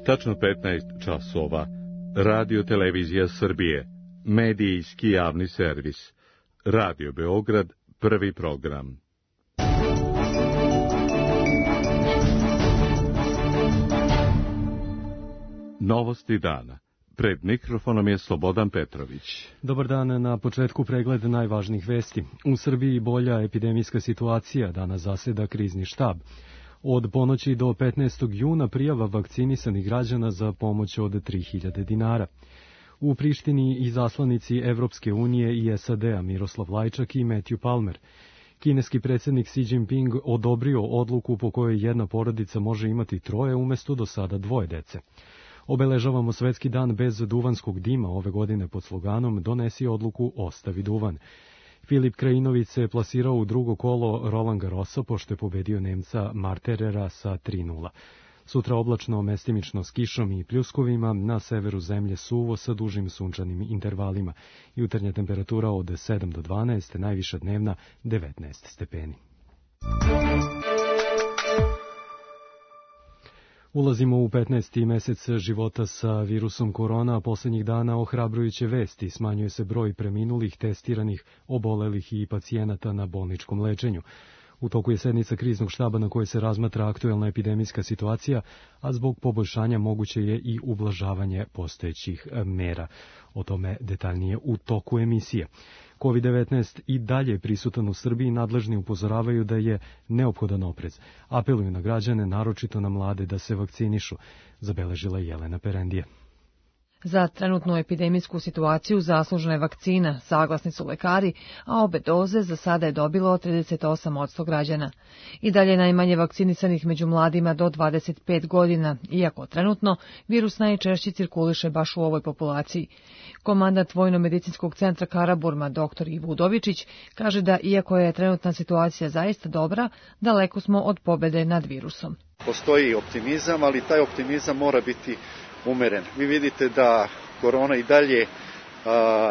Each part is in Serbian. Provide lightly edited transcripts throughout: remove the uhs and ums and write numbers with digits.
Tačno 15 časova. Radio Televizija Srbije. Medijski javni servis. Radio Beograd, prvi program. Novosti dana. Pred mikrofonom je Slobodan Petrović. Dobar dan, na početku pregled najvažnijih vesti. U Srbiji bolja epidemijska situacija, danas zaseda krizni štab. Od ponoći do 15. juna prijava vakcinisanih građana za pomoć od 3000 dinara. U Prištini izaslanici Evropske unije i SAD-a Miroslav Lajčak i Matthew Palmer. Kineski predsjednik Xi Jinping odobrio odluku po kojoj jedna porodica može imati 3 umesto do sada 2 dece. Obeležavamo Svetski dan bez duvanskog dima ove godine pod sloganom Donesi odluku, ostavi duvan. Filip Krajinović se plasirao u drugo kolo Roland Garrosa pošto je pobedio Nemca Marterera sa 3:0. Sutra oblačno, mestimično s kišom i pljuskovima, na severu zemlje suvo sa dužim sunčanim intervalima. Jutarnja temperatura od 7 do 12, najviša dnevna 19 stepeni. Ulazimo u 15. mesec života sa virusom korona, a posljednjih dana ohrabrujuće vesti. Smanjuje se broj preminulih, testiranih, obolelih i pacijenata na bolničkom lečenju. U toku je sednica kriznog štaba na kojoj se razmatra aktuelna epidemijska situacija, a zbog poboljšanja moguće je i ublažavanje postojećih mera. O tome detaljnije u toku emisije. COVID-19 i dalje je prisutan u Srbiji, nadležni upozoravaju da je neophodan oprez. Apeluju na građane, naročito na mlade, da se vakcinišu, zabeležila Jelena Perendija. Za trenutnu epidemijsku situaciju zaslužna je vakcina, saglasni su lekari, a obe doze za sada je dobilo 38% građana. I dalje najmanje vakcinisanih među mladima do 25 godina, iako trenutno virus najčešće cirkuliše baš u ovoj populaciji. Komandant Vojno-medicinskog centra Karaburma, dr. Ivo Udovičić, kaže da iako je trenutna situacija zaista dobra, daleko smo od pobede nad virusom. Postoji optimizam, ali taj optimizam mora biti umeren. Vi vidite da korona i dalje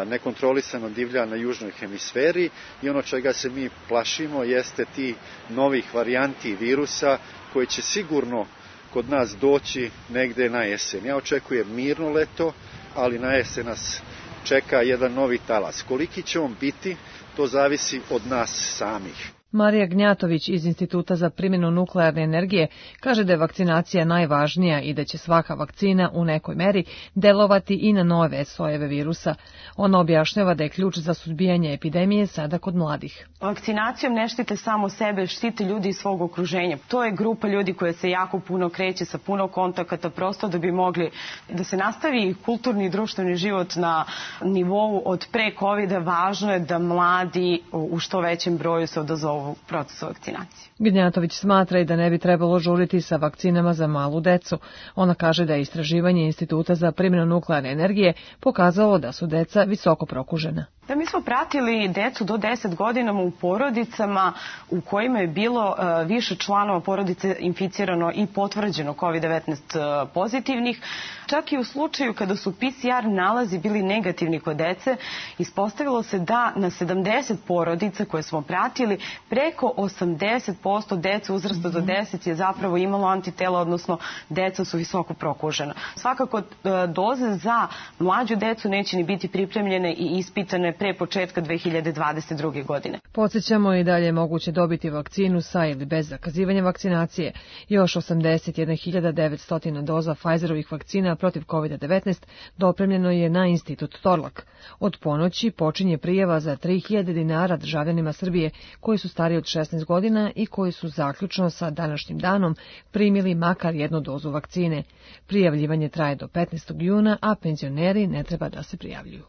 nekontrolisano divlja na južnoj hemisferi i ono čega se mi plašimo jeste ti novih varijanti virusa koji će sigurno kod nas doći negde na jesen. Ja očekujem mirno leto, ali na jesen nas čeka jedan novi talas. Koliki će on biti, to zavisi od nas samih. Marija Gnjatović iz Instituta za primjenu nuklearne energije kaže da je vakcinacija najvažnija i da će svaka vakcina u nekoj meri delovati i na nove sojeve virusa. Ona objašnjava da je ključ za suzbijanje epidemije sada kod mladih. Vakcinacijom ne štite samo sebe, štite ljudi iz svog okruženja. To je grupa ljudi koja se jako puno kreće sa puno kontakata, prosto da bi mogli da se nastavi kulturni i društveni život na nivou od pre COVID-a. Važno je da mladi u što većem broju se odazovu u procesu vakcinacije. Gnjatović smatra i da ne bi trebalo žuriti sa vakcinama za malu decu. Ona kaže da je istraživanje Instituta za primjenu nuklearne energije pokazalo da su deca visoko prokužena. Da, mi smo pratili decu do 10 godina u porodicama u kojima je bilo više članova porodice inficirano i potvrđeno COVID-19 pozitivnih. Čak i u slučaju kada su PCR nalazi bili negativni kod dece, ispostavilo se da na 70 porodica koje smo pratili, preko 80% dece uzrasta do 10 je zapravo imalo antitela, odnosno deca su visoko prokužena. Svakako doze za mlađu decu neće ni biti pripremljene i ispitane pre početka 2022. godine. Podsjećamo i dalje je moguće dobiti vakcinu sa ili bez zakazivanja vakcinacije. Još 81.900 doza Pfizerovih vakcina protiv COVID-19 dopremljeno je na Institut Torlak. Od ponoći počinje prijava za 3000 dinara državljanima Srbije koji su stariji od 16 godina i koji su zaključno sa današnjim danom primili makar jednu dozu vakcine. Prijavljivanje traje do 15. juna, a penzioneri ne treba da se prijavljuju.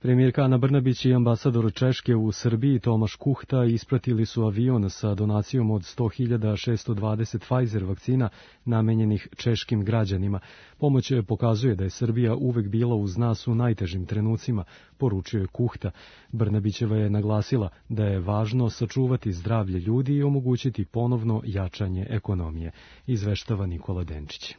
Premijerka Ana Brnabić i ambasador Češke u Srbiji Tomaš Kuhta ispratili su avion sa donacijom od 100.620 Pfizer vakcina namenjenih češkim građanima. Pomoć pokazuje da je Srbija uvek bila uz nas u najtežim trenucima, poručio je Kuhta. Brnabićeva je naglasila da je važno sačuvati zdravlje ljudi i omogućiti ponovno jačanje ekonomije, izveštava Nikola Denčić.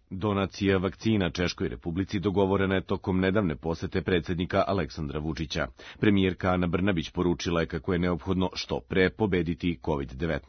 Donacija vakcina Češkoj Republici dogovorena je tokom nedavne posete predsjednika Aleksandra Vučića. Premijerka Ana Brnabić poručila je kako je neophodno što pre pobediti COVID-19.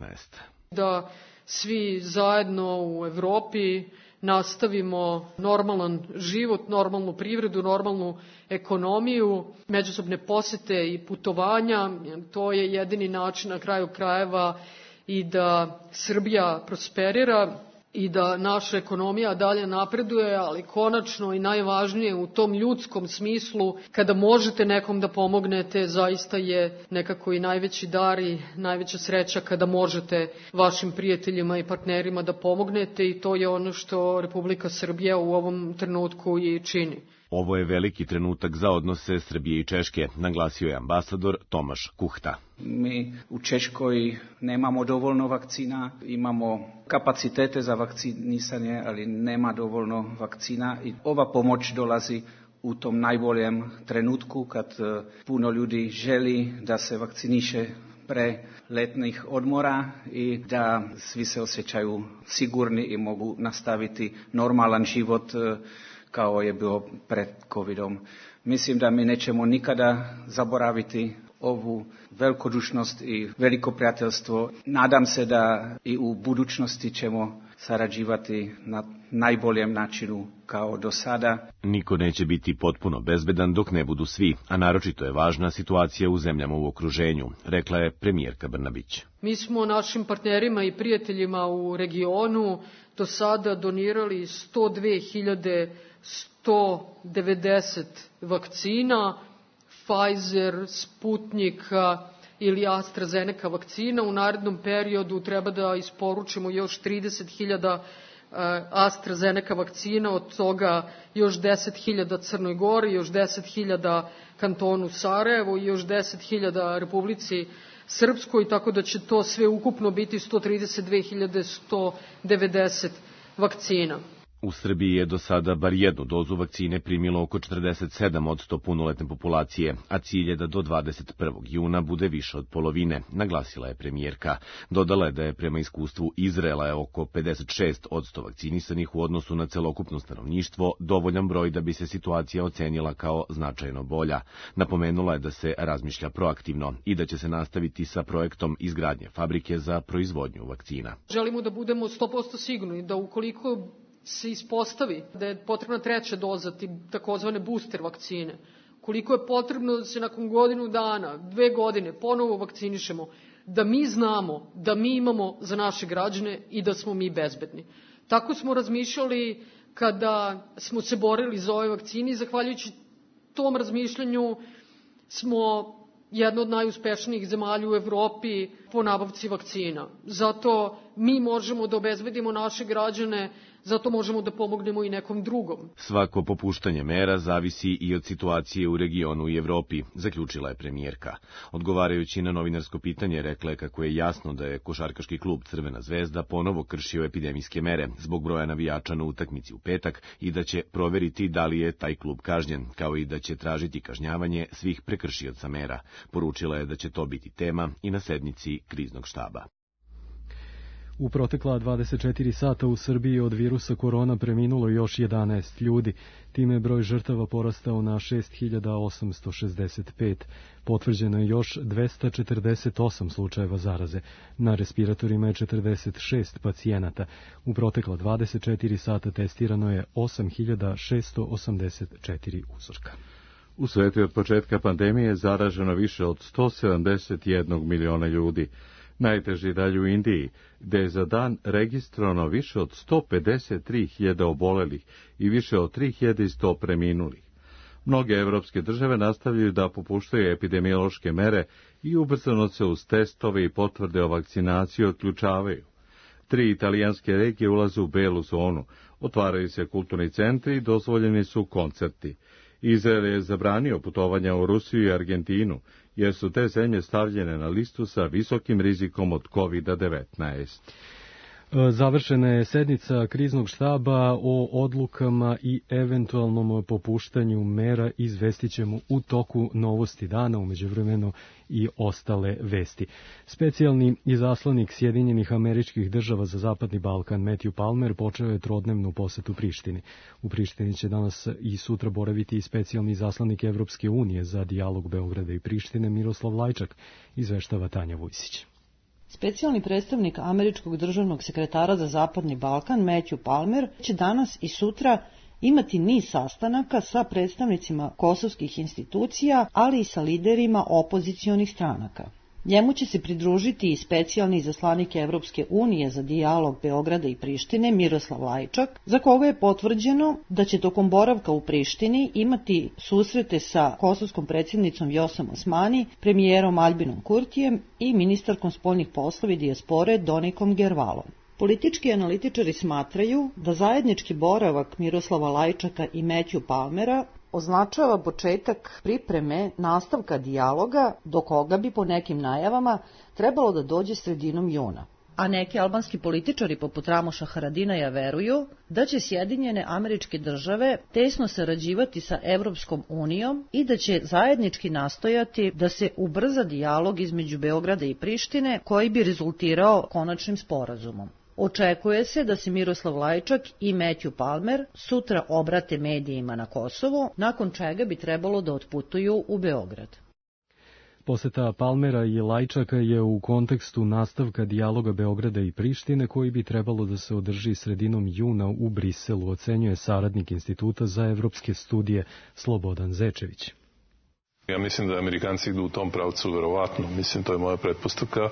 da svi zajedno u Evropi nastavimo normalan život, normalnu privredu, normalnu ekonomiju, međusobne posete i putovanja. To je jedini način na kraju krajeva i da Srbija prosperira i da naša ekonomija dalje napreduje, ali konačno i najvažnije u tom ljudskom smislu, kada možete nekom da pomognete, zaista je nekako i najveći dar i najveća sreća kada možete vašim prijateljima i partnerima da pomognete, i to je ono što Republika Srbija u ovom trenutku i čini. Ovo je veliki trenutak za odnose Srbije i Češke, naglasio je ambasador Tomaš Kuhta. Mi u Češkoj nemamo dovoljno vakcina, imamo kapacitete za vakcinisanje, ali nema dovoljno vakcina i ova pomoć dolazi u tom najboljem trenutku kad puno ljudi želi da se vakciniše pre letnih odmora i da svi se osjećaju sigurni i mogu nastaviti normalan život kao je bilo pred covidom. Mislim da mi nećemo nikada zaboraviti ovu velikodušnost i veliko prijateljstvo. Nadam se da i u budućnosti ćemo sarađivati na najboljem načinu kao do sada. Niko neće biti potpuno bezbedan dok ne budu svi, a naročito je važna situacija u zemljama u okruženju, rekla je premijerka Brnabić. Mi smo našim partnerima i prijateljima u regionu do sada donirali 102.190 vakcina, Pfizer, Sputnik ili AstraZeneca vakcina. U narednom periodu treba da isporučimo još 30.000 AstraZeneca vakcina, od toga još 10.000 Crnoj Gori, još 10.000 kantonu Sarajevo i još 10.000 Republici Srpskoj, tako da će to sve ukupno biti 132.190 vakcina. U Srbiji je do sada bar jednu dozu vakcine primilo oko 47% punoletne populacije, a cilj je da do 21. juna bude više od polovine, naglasila je premijerka. Dodala je da je prema iskustvu Izraela je oko 56% vakcinisanih u odnosu na celokupno stanovništvo, dovoljan broj da bi se situacija ocenila kao značajno bolja. Napomenula je da se razmišlja proaktivno i da će se nastaviti sa projektom izgradnje fabrike za proizvodnju vakcina. Želimo da budemo 100% sigurni da ukoliko se ispostavi da je potrebna treća doza, takozvane booster vakcine, koliko je potrebno da se nakon godinu dana, 2 godine ponovo vakcinišemo, da mi znamo da mi imamo za naše građane i da smo mi bezbedni. Tako smo razmišljali kada smo se borili za ove vakcine i zahvaljujući tom razmišljanju smo jedna od najuspešnijih zemalja u Evropi po nabavci vakcina. Zato mi možemo da obezbedimo naše građane, zato možemo da pomognemo i nekom drugom. Svako popuštanje mera zavisi i od situacije u regionu i Evropi, zaključila je premijerka. Odgovarajući na novinarsko pitanje, rekla je kako je jasno da je košarkaški klub Crvena zvezda ponovo kršio epidemijske mere zbog broja navijača na utakmici u petak i da će proveriti da li je taj klub kažnjen, kao i da će tražiti kažnjavanje svih prekršioca mera. Poručila je da će to biti tema i na sednici kriznog štaba. U protekla 24 sata u Srbiji od virusa korona preminulo još 11 ljudi. Time je broj žrtava porastao na 6.865. Potvrđeno je još 248 slučajeva zaraze. Na respiratorima je 46 pacijenata. U protekla 24 sata testirano je 8.684 uzorka. U svetu je od početka pandemije zaraženo više od 171 miliona ljudi. Najteži dalje u Indiji, gde je za dan registrovano više od 153.000 obolelih i više od 3.100 preminulih. Mnoge evropske države nastavljaju da popuštaju epidemiološke mere i ubrzano se uz testove i potvrde o vakcinaciji otključavaju. 3 italijanske regije ulaze u belu zonu, otvaraju se kulturni centri i dozvoljeni su koncerti. Izrael je zabranio putovanja u Rusiju i Argentinu, jer su te zemlje stavljene na listu sa visokim rizikom od COVID-19. Završena je sednica kriznog štaba o odlukama i eventualnom popuštanju mera, izvestit ćemo u toku Novosti dana, umeđuvremenu i ostale vesti. Specijalni izaslanik Sjedinjenih Američkih Država za Zapadni Balkan Matthew Palmer počeo je trodnevnu posetu Prištini. U Prištini će danas i sutra boraviti i specijalni izaslanik Evropske unije za dijalog Beograda i Prištine Miroslav Lajčak, izveštava Tanja Vujsić. Specijalni predstavnik američkog državnog sekretara za Zapadni Balkan, Matthew Palmer, će danas i sutra imati niz sastanaka sa predstavnicima kosovskih institucija, ali i sa liderima opozicionih stranaka. Njemu će se pridružiti i specijalni izaslanik Evropske unije za dijalog Beograda i Prištine, Miroslav Lajčak, za koga je potvrđeno da će tokom boravka u Prištini imati susrete sa kosovskom predsjednicom Vjosom Osmani, premijerom Albinom Kurtijem i ministarkom spoljnih poslova i dijaspore Donikom Gervalom. Politički analitičari smatraju da zajednički boravak Miroslava Lajčaka i Matthew Palmera označava početak pripreme nastavka dijaloga do koga bi po nekim najavama trebalo da dođe sredinom juna. A neki albanski političari poput Ramoša Haradinaja veruju da će Sjedinjene Američke Države tesno sarađivati sa Evropskom unijom i da će zajednički nastojati da se ubrza dijalog između Beograda i Prištine koji bi rezultirao konačnim sporazumom. Očekuje se da se Miroslav Lajčak i Matthew Palmer sutra obrate medijima na Kosovu, nakon čega bi trebalo da otputuju u Beograd. Poseta Palmera i Lajčaka je u kontekstu nastavka dijaloga Beograda i Prištine koji bi trebalo da se održi sredinom juna u Briselu, ocenjuje saradnik Instituta za evropske studije Slobodan Zečević. Ja mislim da Amerikanci idu u tom pravcu verovatno, mislim to je moja pretpostavka,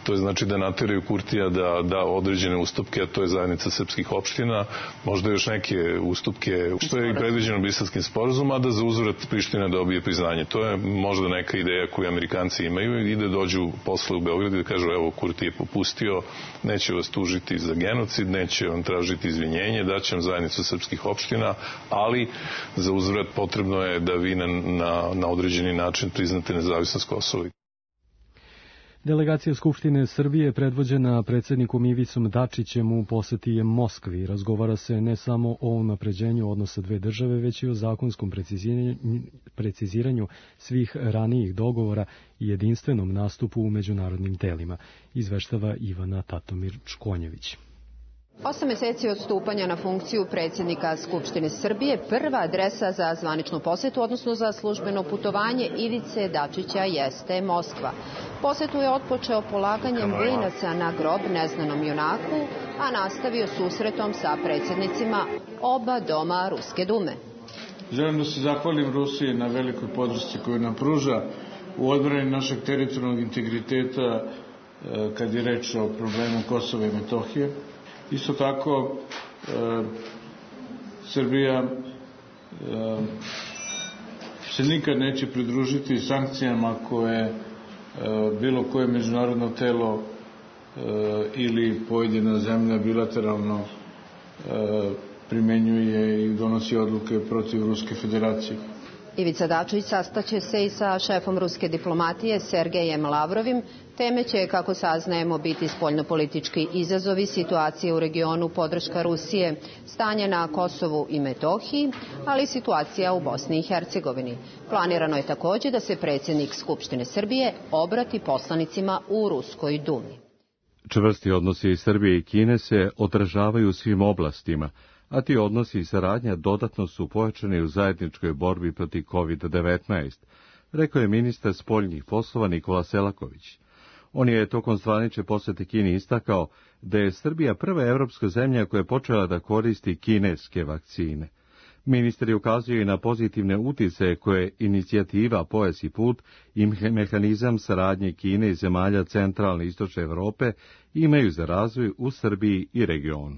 to je znači da nateraju Kurtija da da određene ustupke, a to je zajednica srpskih opština, možda još neke ustupke što je i predviđeno Briselskim sporazumom, a da za uzvrat Priština dobije priznanje. To je možda neka ideja koju Amerikanci imaju i da dođu posle u Beogradu i da kažu evo Kurti je popustio, neće vas tužiti za genocid, neće vam tražiti izvinjenje, daće vam zajednicu srpskih opština, ali za uzvrat potrebno je da vi na određeni način priznate nezavisnost Kosova. Delegacija Skupštine Srbije predvođena predsjednikom Ivicom Dačićem u poseti je Moskvi. Razgovara se ne samo o unapređenju odnosa dve države, već i o zakonskom preciziranju svih ranijih dogovora i jedinstvenom nastupu u međunarodnim telima, izveštava Ivana Tatomir-Čkonjević. 8 meseci od stupanja na funkciju predsjednika Skupštine Srbije, prva adresa za zvaničnu posetu, odnosno za službeno putovanje Ivice Dačića jeste Moskva. Posetu je otpočeo polaganjem venaca na grob neznanom junaku, a nastavio susretom sa predsjednicima oba doma Ruske dume. Želim da se zahvalim Rusiji na velikoj podršci koju nam pruža u odbrani našeg teritorijalnog integriteta kad je reč o problemu Kosova i Metohije. Isto tako, Srbija se nikad neće pridružiti sankcijama koje bilo koje međunarodno telo ili pojedina zemlja bilateralno primenjuje i donosi odluke protiv Ruske federacije. Ivica Dačić sastaće se i sa šefom ruske diplomatije Sergejem Lavrovim. Teme će, kako saznajemo, biti spoljnopolitički izazovi, situacije u regionu, podrška Rusije, stanje na Kosovu i Metohiji, ali i situacija u Bosni i Hercegovini. Planirano je također da se predsjednik Skupštine Srbije obrati poslanicima u Ruskoj dumi. Čvrsti odnosi Srbije i Kine se odražavaju u svim oblastima, a ti odnosi i saradnja dodatno su pojačani u zajedničkoj borbi protiv COVID-19, rekao je ministar spoljnih poslova Nikola Selaković. On je tokom zvanične posete Kini istakao da je Srbija prva evropska zemlja koja je počela da koristi kineske vakcine. Ministar je ukazio i na pozitivne uticaje koje inicijativa Pojas i put i mehanizam saradnje Kine i zemalja centralne i istočne Evrope imaju za razvoj u Srbiji i regionu.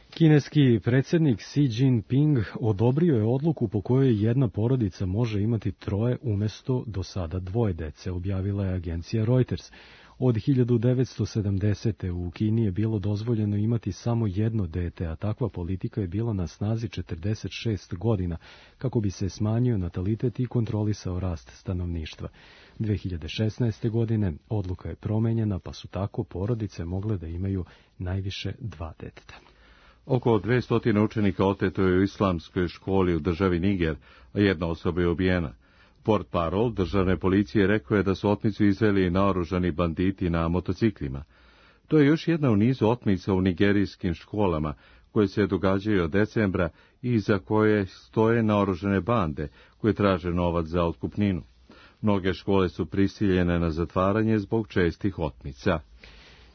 Kineski predsjednik Xi Jinping odobrio je odluku po kojoj jedna porodica može imati 3 umjesto do sada 2 dece, objavila je agencija Reuters. Od 1970. u Kini je bilo dozvoljeno imati samo 1 dete, a takva politika je bila na snazi 46 godina, kako bi se smanjio natalitet i kontrolisao rast stanovništva. 2016. godine odluka je promenjena, pa su tako porodice mogle da imaju najviše 2 deteta. Oko 200 učenika oteto je u islamskoj školi u državi Niger, a 1 osoba je ubijena. Portparol državne policije rekao je da su otmicu izveli naoružani banditi na motociklima. To je još jedna u nizu otmica u nigerijskim školama, koje se događaju od decembra i iza koje stoje naoružane bande, koje traže novac za otkupninu. Mnoge škole su prisiljene na zatvaranje zbog čestih otmica.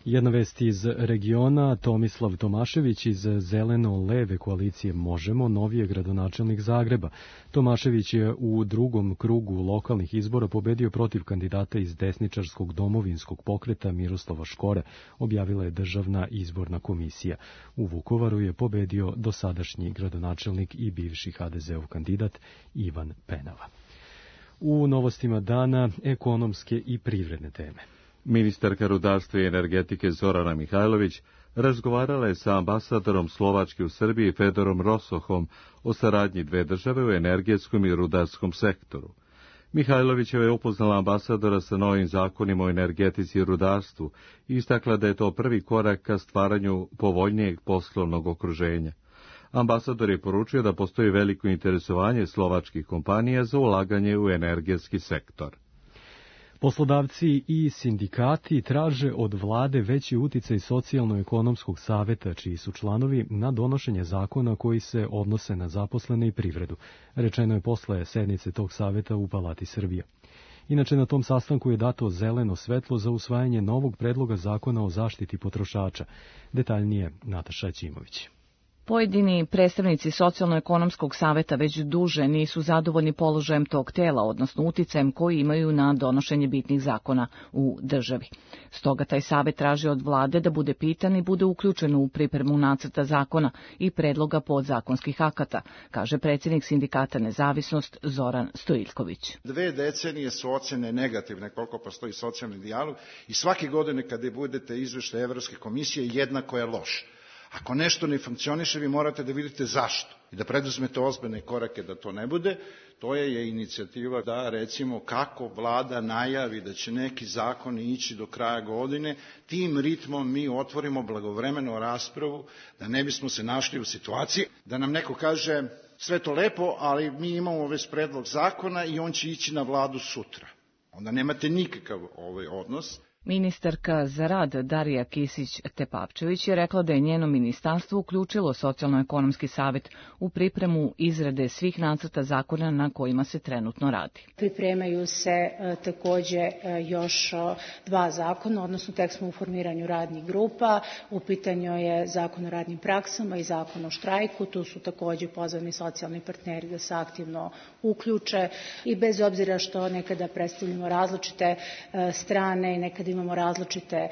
Jedna vest iz regiona, Tomislav Tomašević iz zeleno-leve koalicije Možemo, novi je gradonačelnik Zagreba. Tomašević je u drugom krugu lokalnih izbora pobedio protiv kandidata iz desničarskog domovinskog pokreta Miroslava Škore, objavila je Državna izborna komisija. U Vukovaru je pobedio dosadašnji gradonačelnik i bivši HDZ-ov kandidat Ivan Penava. U novostima dana ekonomske i privredne teme. Ministarka rudarstva i energetike Zorana Mihajlović razgovarala je sa ambasadorom Slovačke u Srbiji Fedorom Rosohom o saradnji dve države u energetskom i rudarskom sektoru. Mihajlovićeva je upoznala ambasadora sa novim zakonima o energetici i rudarstvu i istakla da je to prvi korak ka stvaranju povoljnijeg poslovnog okruženja. Ambasador je poručio da postoji veliko interesovanje slovačkih kompanija za ulaganje u energetski sektor. Poslodavci i sindikati traže od vlade veći uticaj socijalno-ekonomskog saveta, čiji su članovi, na donošenje zakona koji se odnose na zaposlene i privredu. Rečeno je posle sednice tog saveta u Palati Srbije. Inače, na tom sastanku je dato zeleno svetlo za usvajanje novog predloga zakona o zaštiti potrošača. Detaljnije Nataša Ćimović. Pojedini predstavnici Socijalno-ekonomskog saveta već duže nisu zadovoljni položajem tog tela, odnosno uticajem koji imaju na donošenje bitnih zakona u državi. Stoga taj savet traži od vlade da bude pitan i bude uključen u pripremu nacrta zakona i predloga podzakonskih akata, kaže predsjednik sindikata Nezavisnost Zoran Stojiljković. 2 decenije su ocene negativne koliko postoji socijalni dijalog i svake godine kada budete izveštaj Evropske komisije jednako je loš. Ako nešto ne funkcioniše, vi morate da vidite zašto i da preduzmete ozbiljne korake da to ne bude. To je inicijativa da, recimo, kako vlada najavi da će neki zakoni ići do kraja godine, tim ritmom mi otvorimo blagovremeno raspravu, da ne bismo se našli u situaciji da nam neko kaže sve to lepo, ali mi imamo već predlog zakona i on će ići na vladu sutra. Onda nemate nikakav odnos. Ministarka za rad Darija Kisić-Tepavčević je rekla da je njeno ministarstvo uključilo Socijalno-ekonomski savet u pripremu izrade svih nacrta zakona na kojima se trenutno radi. Pripremaju se takođe još 2 zakona, odnosno tek smo u formiranju radnih grupa. U pitanju je zakon o radnim praksama i zakon o štrajku. Tu su takođe pozvani socijalni partneri da se aktivno uključe i bez obzira što nekada predstavljamo različite strane i nekada imamo različite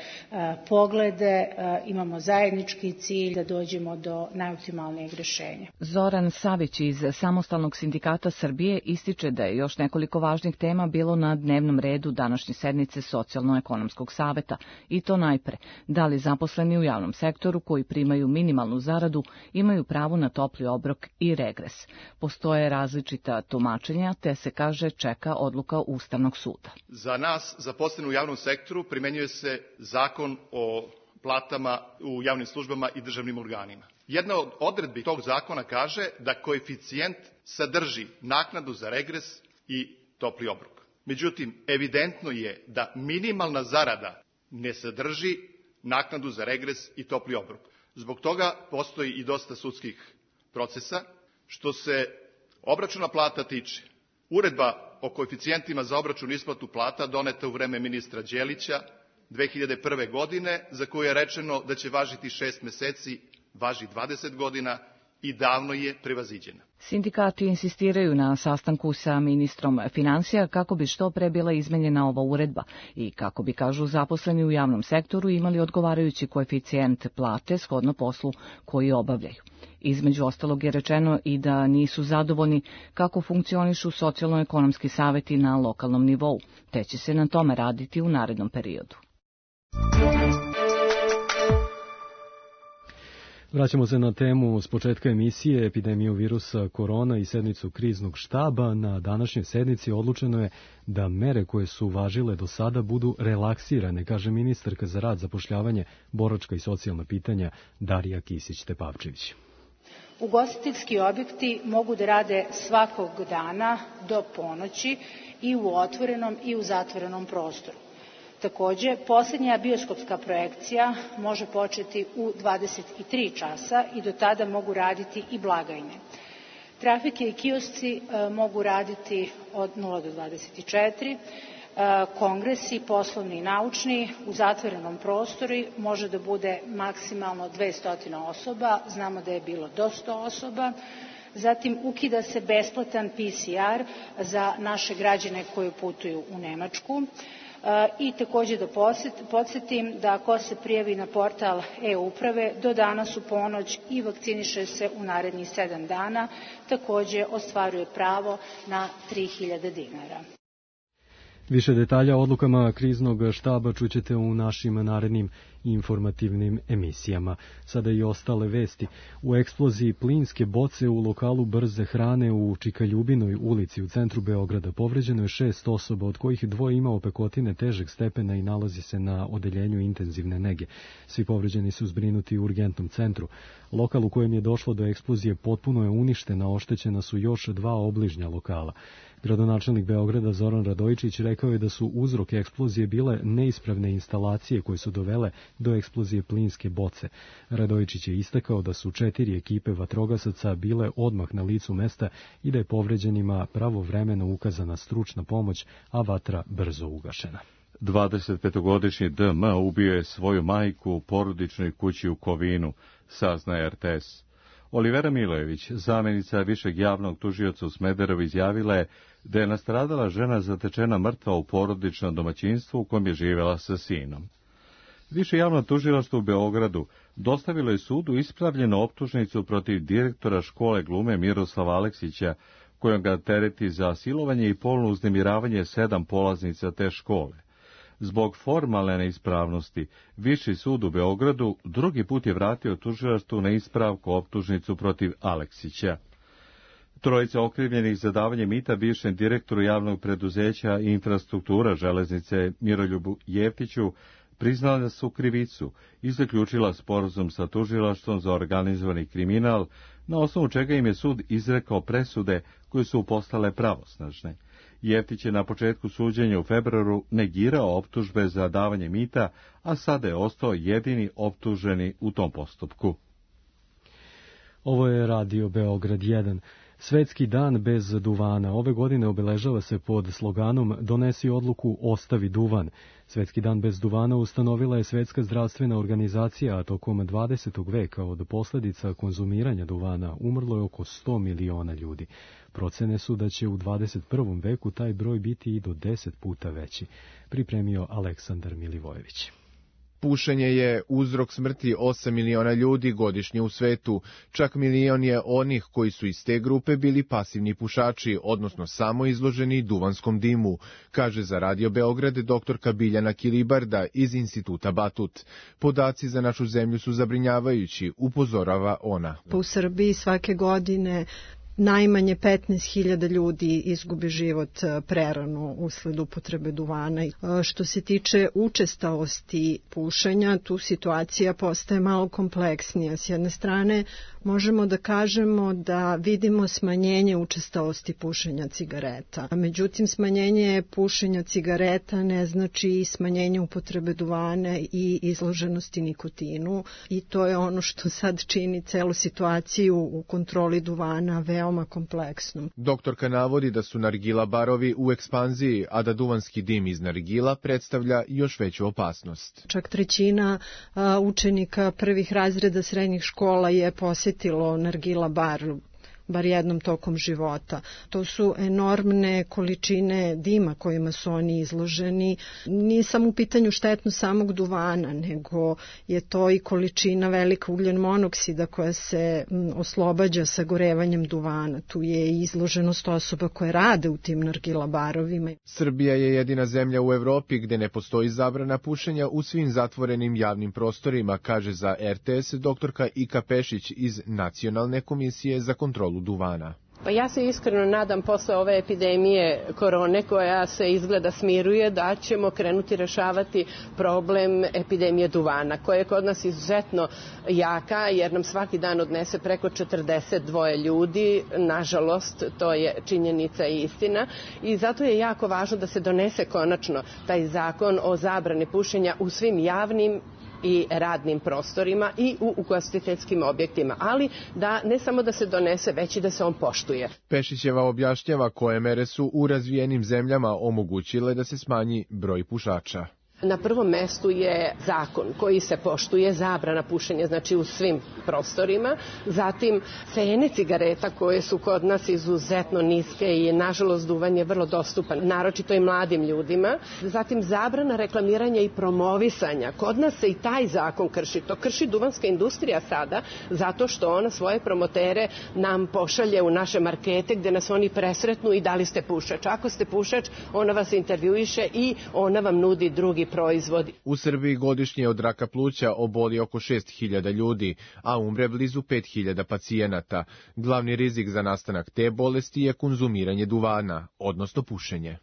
poglede, imamo zajednički cilj da dođemo do najoptimalnijeg rješenja. Zoran Savić iz Samostalnog sindikata Srbije ističe da je još nekoliko važnih tema bilo na dnevnom redu današnje sednice Socijalno-ekonomskog saveta i to najpre, da li zaposleni u javnom sektoru koji primaju minimalnu zaradu imaju pravo na topli obrok i regres. Postoje različita tumačenja, te se kaže čeka odluka Ustavnog suda. Za nas, zaposleni u javnom sektoru, primenjuje se zakon o platama u javnim službama i državnim organima. Jedna od odredbi tog zakona kaže da koeficijent sadrži naknadu za regres i topli obrok. Međutim, evidentno je da minimalna zarada ne sadrži naknadu za regres i topli obrok. Zbog toga postoji i dosta sudskih procesa. Što se obračuna plata tiče, uredba o koeficijentima za obračun i isplatu plata doneta u vreme ministra Đelića 2001. godine, za koju je rečeno da će važiti 6 meseci, važi 20 godina i davno je prevaziđena. Sindikati insistiraju na sastanku sa ministrom finansija kako bi što pre bila izmenjena ova uredba i kako bi, kažu, zaposleni u javnom sektoru imali odgovarajući koeficijent plate shodno poslu koji obavljaju. Između ostalog je rečeno i da nisu zadovoljni kako funkcionišu socijalno-ekonomski saveti na lokalnom nivou, te će se na tome raditi u narednom periodu. Vraćamo se na temu s početka emisije, epidemiju virusa korona i sednicu kriznog štaba. Na današnjoj sednici odlučeno je da mere koje su važile do sada budu relaksirane, kaže ministarka za rad, zapošljavanje, boračka i socijalna pitanja Darija Kisić-Tepavčević. Ugostiteljski objekti mogu da rade svakog dana do ponoći i u otvorenom i u zatvorenom prostoru. Takođe, posljednja bioskopska projekcija može početi u 23 časa i do tada mogu raditi i blagajne. Trafike i kiosci mogu raditi od 0 do 24, kongresi, poslovni i naučni, u zatvorenom prostoru može da bude maksimalno 200 osoba, znamo da je bilo do 100 osoba. Zatim ukida se besplatan PCR za naše građane koji putuju u Nemačku. I takođe da podsjetim da ako se prijavi na portal e-uprave do danas u ponoć i vakciniše se u narednih 7 dana, takođe ostvaruje pravo na 3.000 dinara. Više detalja o odlukama kriznog štaba čućete u našim narednim informativnim emisijama. Sada i ostale vesti. U eksploziji plinske boce u lokalu brze hrane u Čikaljubinoj ulici u centru Beograda povređeno je 6 osoba, od kojih 2 ima opekotine težeg stepena i nalazi se na odeljenju intenzivne nege. Svi povređeni su zbrinuti u urgentnom centru. Lokal u kojem je došlo do eksplozije potpuno je uništen, a oštećena su još 2 obližnja lokala. Gradonačelnik Beograda Zoran Radojičić rekao je da su uzrok eksplozije bile neispravne instalacije koje su dovele do eksplozije plinske boce. Radojičić je istakao da su 4 ekipe vatrogasaca bile odmah na licu mesta i da je povređenima pravovremeno ukazana stručna pomoć, a vatra brzo ugašena. 25-godišnji DM ubio je svoju majku u porodičnoj kući u Kovinu, saznaje RTS. Olivera Milojević, zamjenica višeg javnog tužioca u Smederevu, izjavila je da je nastradala žena zatečena mrtva u porodičnom domaćinstvu u kojem je živjela sa sinom. Više javno tužilaštvo u Beogradu dostavilo je sudu ispravljenu optužnicu protiv direktora škole glume Miroslava Aleksića, kojom ga tereti za silovanje i polno uznemiravanje 7 polaznica te škole. Zbog formalne neispravnosti, Viši sud u Beogradu drugi put je vratio tužilaštvu na ispravku optužnicu protiv Aleksića. Trojica okrivljenih za davanje mita bivšem direktoru javnog preduzeća Infrastruktura železnice Miroljubu Jeftiću priznala su krivicu i zaključila sporazum sa tužilaštvom za organizovani kriminal, na osnovu čega im je sud izrekao presude koje su postale pravosnažne. Jeftić je na početku suđenja u februaru negirao optužbe za davanje mita, a sada je ostao jedini optuženi u tom postupku. Ovo je Radio Beograd 1. Svetski dan bez duvana ove godine obeležava se pod sloganom Donesi odluku, ostavi duvan. Svetski dan bez duvana ustanovila je Svetska zdravstvena organizacija, a tokom 20. veka od posljedica konzumiranja duvana umrlo je oko 100 miliona ljudi. Procene su da će u 21. veku taj broj biti i do 10 puta veći, pripremio Aleksandar Milivojević. Pušenje je uzrok smrti 8 miliona ljudi godišnje u svetu, čak milion je onih koji su iz te grupe bili pasivni pušači, odnosno samo izloženi duvanskom dimu, kaže za Radio Beograd doktorka Biljana Kilibarda iz Instituta Batut. Podaci za našu zemlju su zabrinjavajući, upozorava ona. U Srbiji svake godine najmanje 15.000 ljudi izgubi život prerano usled upotrebe duvana. Što se tiče učestalosti pušenja, tu situacija postaje malo kompleksnija. S jedne strane, možemo da kažemo da vidimo smanjenje učestalosti pušenja cigareta. Međutim, smanjenje pušenja cigareta ne znači i smanjenje upotrebe duvana i izloženosti nikotinu. I to je ono što sad čini celu situaciju u kontroli duvana veoma kompleksnom. Doktorka navodi da su nargila barovi u ekspanziji, a da duvanski dim iz nargila predstavlja još veću opasnost. Čak 1/3 učenika prvih razreda srednjih škola je posjetilo nargila bar jednom tokom života. To su enormne količine dima kojima su oni izloženi. Nije samo u pitanju štetno samog duvana, nego je to i količina velika ugljen monoksida koja se oslobađa sagorevanjem duvana. Tu je i izloženost osoba koje rade u tim nargila barovima. Srbija je jedina zemlja u Evropi gde ne postoji zabrana pušenja u svim zatvorenim javnim prostorima, kaže za RTS doktorka Ika Pešić iz Nacionalne komisije za kontrolu duvana. Pa ja se iskreno nadam posle ove epidemije korone koja se izgleda smiruje da ćemo krenuti rešavati problem epidemije duvana koja je kod nas izuzetno jaka jer nam svaki dan odnese preko 42 ljudi. Nažalost, to je činjenica i istina i zato je jako važno da se donese konačno taj zakon o zabrani pušenja u svim javnim i radnim prostorima i u ugostiteljskim objektima, ali da ne samo da se donese, već i da se on poštuje. Pešićeva objašnjava koje mere su u razvijenim zemljama omogućile da se smanji broj pušača. Na prvom mestu je zakon koji se poštuje, zabrana pušenja, znači u svim prostorima. Zatim cene cigareta koje su kod nas izuzetno niske i nažalost duvan je vrlo dostupan, naročito i mladim ljudima. Zatim zabrana reklamiranja i promovisanja. Kod nas se i taj zakon krši. To krši duvanska industrija sada zato što ona svoje promotere nam pošalje u naše markete gde nas oni presretnu i da li ste pušač. Ako ste pušač, ona vas intervjuiše i ona vam nudi drugi proizvodi. U Srbiji godišnje od raka pluća oboli oko 6.000 ljudi, a umre blizu 5.000 pacijenata. Glavni rizik za nastanak te bolesti je konzumiranje duvana, odnosno pušenje.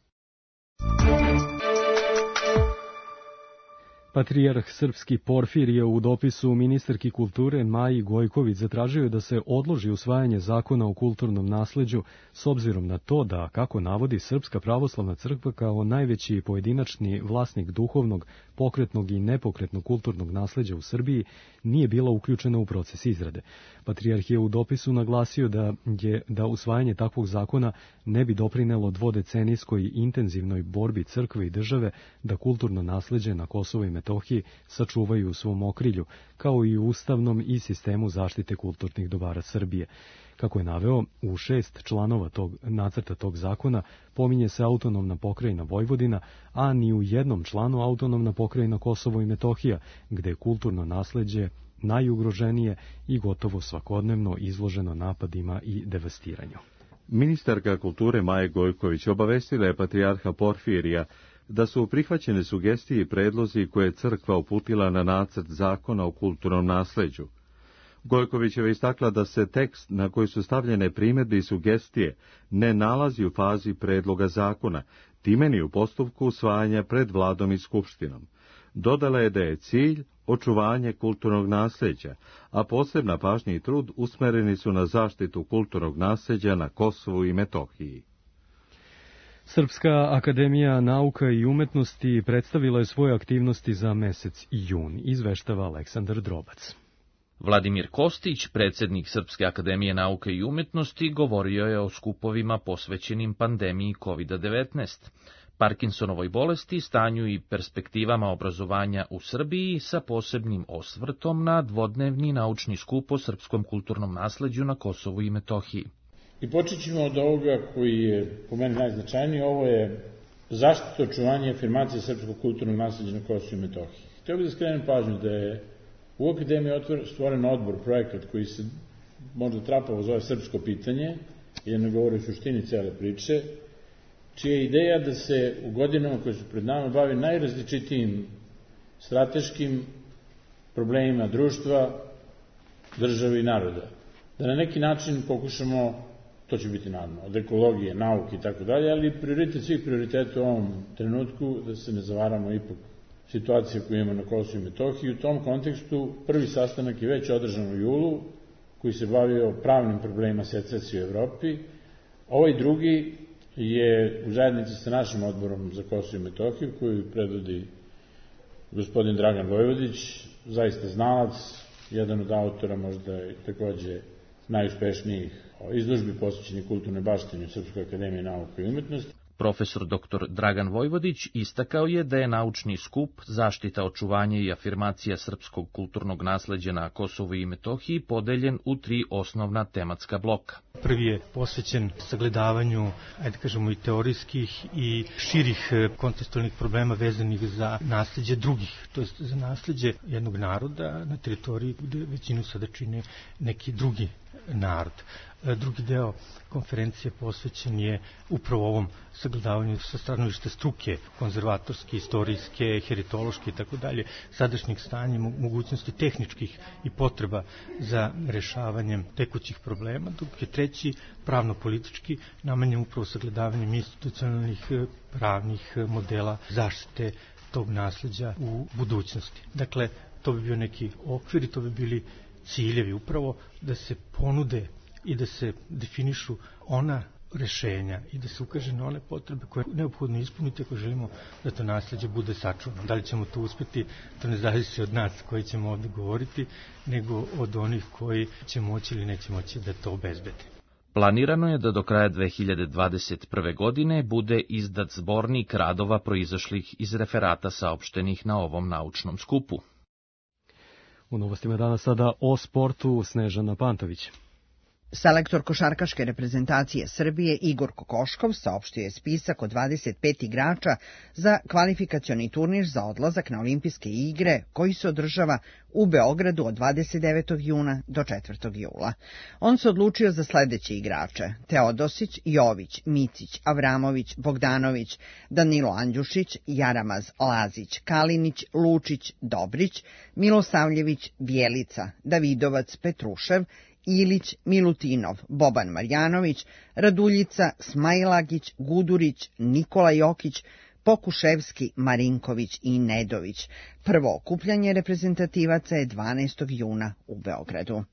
Patrijarh srpski Porfirije u dopisu ministarki kulture Maji Gojković zatražio da se odloži usvajanje zakona o kulturnom nasleđu s obzirom na to da, kako navodi Srpska pravoslavna crkva kao najveći pojedinačni vlasnik duhovnog, pokretnog i nepokretnog kulturnog nasleđa u Srbiji, nije bila uključena u proces izrade. Patrijarh je u dopisu naglasio da usvajanje takvog zakona ne bi doprinelo dvodecenijskoj i intenzivnoj borbi crkve i države da kulturno nasleđe na Kosovu i Metohiji sačuvaju u svom okrilju, kao i u ustavnom i sistemu zaštite kulturnih dobara Srbije. Kako je naveo, u 6 članova nacrta tog zakona pominje se autonomna pokrajina Vojvodina, a ni u jednom članu autonomna pokrajina Kosovo i Metohija, gde je kulturno nasleđe najugroženije i gotovo svakodnevno izloženo napadima i devastiranju. Ministarka kulture Maja Gojković obavestila je patrijarha Porfirija da su prihvaćene sugestije i predlozi koje je crkva uputila na nacrt zakona o kulturnom nasleđu. Gojkovićeva istakla da se tekst na koji su stavljene primjedbe i sugestije ne nalazi u fazi predloga zakona, time ni u postupku usvajanja pred vladom i skupštinom. Dodala je da je cilj očuvanje kulturnog nasleđa, a posebna pažnja i trud usmereni su na zaštitu kulturnog nasleđa na Kosovu i Metohiji. Srpska akademija nauka i umetnosti predstavila je svoje aktivnosti za mesec jun, izveštava Aleksandar Drobac. Vladimir Kostić, predsjednik Srpske akademije nauke i umetnosti, govorio je o skupovima posvećenim pandemiji COVID-19, Parkinsonovoj bolesti, stanju i perspektivama obrazovanja u Srbiji sa posebnim osvrtom na dvodnevni naučni skup o srpskom kulturnom nasleđu na Kosovu i Metohiji. I počet ćemo od ovoga koji je po meni najznačajniji, ovo je zaštita, očuvanje i afirmacija srpskog kulturnog nasleđa na Kosovu i Metohiji. Htio bih da skrenem pažnju da je u akademiji stvoren odbor, projekat koji se možda trapavo zove Srpsko pitanje, jer ne govori o suštini cele priče, čija je ideja da se u godinama koje su pred nama bavi najrazličitijim strateškim problemima društva, države i naroda. Da na neki način pokušamo, to će biti naravno, od ekologije, nauke i tako dalje, ali prioritet svih prioriteta u ovom trenutku, da se ne zavaramo ipak situacije koju imamo na Kosovu i Metohiji. U tom kontekstu prvi sastanak je već održan u julu, koji se bavio pravnim problemima secesije u Evropi. Ovaj drugi je u zajednici sa našim odborom za Kosovo i Metohiju, koju predvodi gospodin Dragan Vojvodić, zaista znalac, jedan od autora možda i takođe najuspešnijih izložbi posvećenih kulturnoj baštini u Srpskoj akademiji nauke i umetnosti. Profesor dr. Dragan Vojvodić istakao je da je naučni skup zaštita, očuvanje i afirmacija srpskog kulturnog nasleđa na Kosovu i Metohiji podeljen u 3 osnovna tematska bloka. Prvi je posvećen sagledavanju, ajde kažemo, i teorijskih i širih kontekstualnih problema vezanih za nasleđe drugih, to je za nasleđe jednog naroda na teritoriji gde većinu sada čine neki drugi narod. Drugi deo konferencije posvećen je upravo ovom sagledavanju sa stanovišta struke, konzervatorske, istorijske, heritološke i tako dalje, sadašnjeg stanja, mogućnosti tehničkih i potreba za rešavanjem tekućih problema, dok je treći pravno-politički namenjen upravo sagledavanjem institucionalnih pravnih modela zaštite tog nasleđa u budućnosti. Dakle, to bi bio neki okvir i to bi bili ciljevi upravo da se ponude i da se definišu ona rešenja i da se ukaže na one potrebe koje je neophodno ispuniti ako želimo da to nasleđe bude sačuvano. Da li ćemo to uspeti, to ne zavisi od nas koji ćemo ovde govoriti, nego od onih koji će moći ili neće moći da to obezbede. Planirano je da do kraja 2021. godine bude izdat zbornik radova proizašlih iz referata saopštenih na ovom naučnom skupu. U novostima danas sada o sportu Snežana Pantović. Selektor košarkaške reprezentacije Srbije Igor Kokoškov saopštio je spisak od 25 igrača za kvalifikacioni turnir za odlazak na olimpijske igre koji se održava u Beogradu od 29. juna do 4. jula. On se odlučio za sledeće igrače: Teodosić, Jović, Micić, Avramović, Bogdanović, Danilo Andjušić, Jaramaz, Lazić, Kalinić, Lučić, Dobrić, Milosavljević, Bjelica, Davidovac, Petrušev, Ilić, Milutinov, Boban Marjanović, Raduljica, Smailagić, Gudurić, Nikola Jokić, Pokuševski, Marinković i Nedović. Prvo okupljanje reprezentativaca je 12. juna u Beogradu.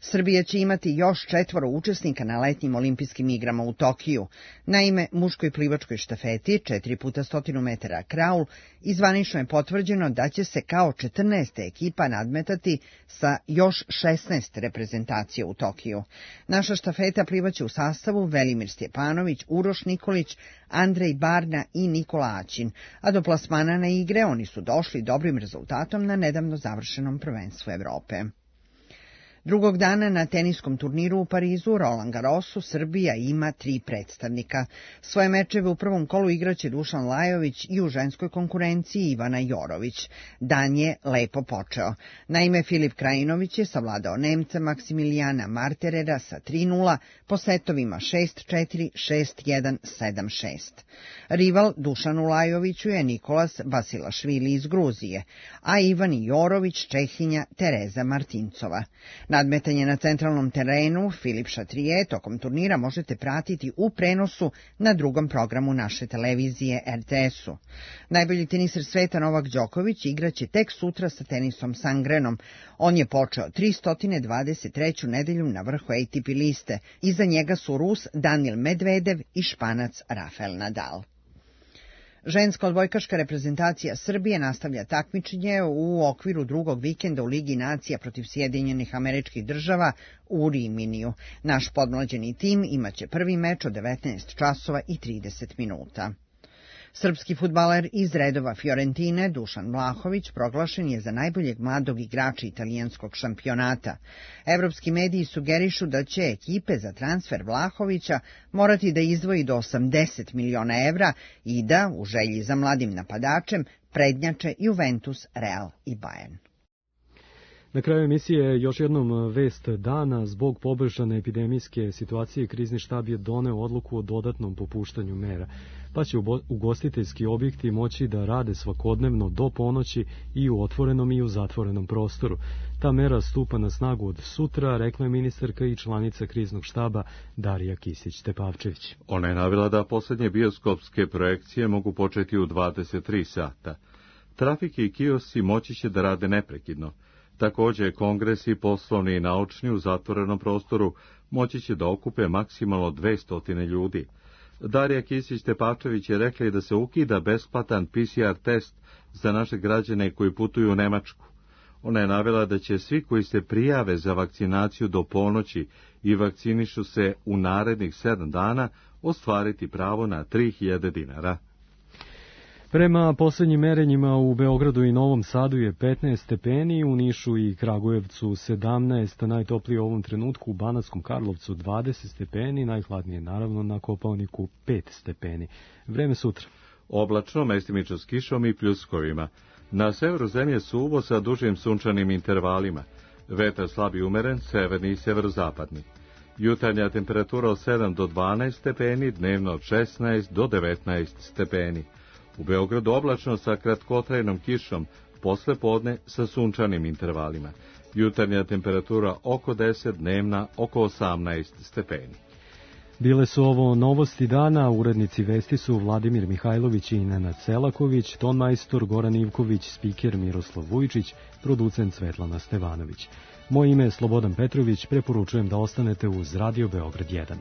Srbija će imati još 4 učesnika na letnjim olimpijskim igrama u Tokiju. Naime, muškoj plivačkoj štafeti 4x100 metara kraul i zvanično je potvrđeno da će se kao 14. ekipa nadmetati sa još 16 reprezentacija u Tokiju. Naša štafeta plivaće u sastavu Velimir Stjepanović, Uroš Nikolić, Andrej Barna i Nikola Aćin, a do plasmana na igre oni su došli dobrim rezultatom na nedavno završenom prvenstvu Evrope. Drugog dana na teniskom turniru u Parizu, Roland Garrosu, Srbija ima 3 predstavnika. Svoje mečeve u prvom kolu igraće Dušan Lajović i u ženskoj konkurenciji Ivana Jorović. Dan je lepo počeo. Naime, Filip Krajinović je savladao Nemca Maksimilijana Marterera sa 3:0 po setovima 6:4, 6:1, 7:6. Rival Dušanu Lajoviću je Nikolas Basilašvili iz Gruzije, a Ivani Jorović Čehinja Tereza Martincova. Nadmetanje na centralnom terenu Filip Šatrije tokom turnira možete pratiti u prenosu na drugom programu naše televizije RTS-u. Najbolji teniser sveta Novak Đoković igraće tek sutra sa Tenisom Sangrenom. On je počeo 323. nedelju na vrhu ATP liste. Iza njega su Rus Danil Medvedev i Španac Rafael Nadal. Ženska odbojkaška reprezentacija Srbije nastavlja takmičenje u okviru drugog vikenda u Ligi nacija protiv Sjedinjenih Američkih Država u Riminiju. Naš podmlađeni tim imaće prvi meč od 19 časova i 30 minuta. Srpski fudbaler iz redova Fiorentine Dušan Vlahović proglašen je za najboljeg mladog igrača italijanskog šampionata. Evropski mediji sugerišu da će ekipe za transfer Vlahovića morati da izdvoji do 80 miliona evra i da, u želji za mladim napadačem, prednjače Juventus, Real i Bayern. Na kraju emisije još jednom vest dana. Zbog poboljšane epidemijske situacije krizni štab je doneo odluku o dodatnom popuštanju mera, pa će ugostiteljski objekti moći da rade svakodnevno do ponoći i u otvorenom i u zatvorenom prostoru. Ta mera stupa na snagu od sutra, rekla je ministarka i članica kriznog štaba Darija Kisić-Tepavčević. Ona je navela da poslednje bioskopske projekcije mogu početi u 23 sata. Trafike i kiosci moći će da rade neprekidno. Takođe, kongresi, poslovni i naučni u zatvorenom prostoru moći će da okupe maksimalno 200 ljudi. Darija Kisić-Tepavčević je rekla i da se ukida besplatan PCR test za naše građane koji putuju u Nemačku. Ona je navela da će svi koji se prijave za vakcinaciju do ponoći i vakcinišu se u narednih 7 dana ostvariti pravo na 3000 dinara. Prema poslednjim merenjima u Beogradu i Novom Sadu je 15 stepeni, u Nišu i Kragujevcu 17, najtoplije u ovom trenutku u Banatskom Karlovcu 20 stepeni, najhladnije naravno na Kopaoniku 5 stepeni. Vreme sutra. Oblačno, mestimično s kišom i pljuskovima. Na severu zemlje suvo sa dužim sunčanim intervalima. Vetar slab i umeren, severni i severozapadni. Jutarnja temperatura od 7 do 12 stepeni, dnevno od 16 do 19 stepeni. U Beogradu oblačno sa kratkotrajnom kišom, posle podne sa sunčanim intervalima. Jutarnja temperatura oko 10, dnevna oko 18 stepeni. Bile su ovo novosti dana, urednici vesti su Vladimir Mihajlović i Nenad Selaković, tonmajstor Goran Ivković, spiker Miroslav Vujčić, producent Svetlana Stevanović. Moje ime je Slobodan Petrović, preporučujem da ostanete uz Radio Beograd 1.